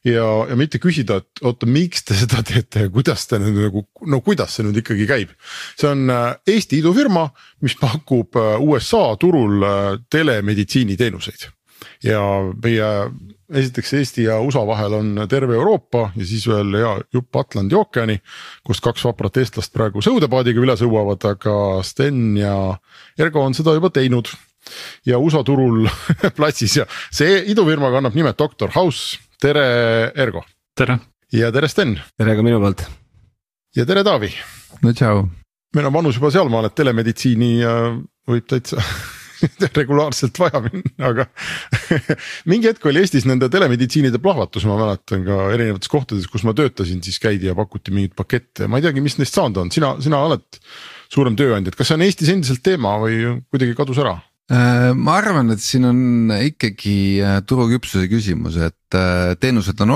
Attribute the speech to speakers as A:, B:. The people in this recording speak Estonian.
A: ja mitte küsida, et oota, miks te seda teete ja kuidas te nüüd nagu, no kuidas see nüüd ikkagi käib. See on Eesti idufirma, mis pakub USA turul telemeditsiiniteenuseid ja meie esiteks Eesti ja USA vahel on terve Euroopa ja siis veel jupp Atlandi ookeani, kust 2 vaprat eestlast praegu sõudepaadiga üle sõuavad, aga Sten ja Ergo on seda juba teinud ja USA turul platsis ja see idufirma kannab nimed Dr. House. Tere Ergo.
B: Tere.
A: Ja tere Sten.
C: Tere ka minu poolt.
A: Ja tere Taavi.
C: No tšau.
A: Meil on vanus juba sealmaal, et telemeditsiini võib täitsa regulaarselt vaja minna, aga mingi hetk oli Eestis nende telemeditsiinide plahvatus, ma mäletan ka erinevates kohtades, kus ma töötasin, siis käidi ja pakuti mingit pakette. Ma ei teagi, mis neist saanud on, sina oled suurem tööandja, kas see on Eestis endiselt teema või kuidagi kadus ära?
C: Ma arvan, et siin on ikkagi turuküpsuse küsimus, et teenused on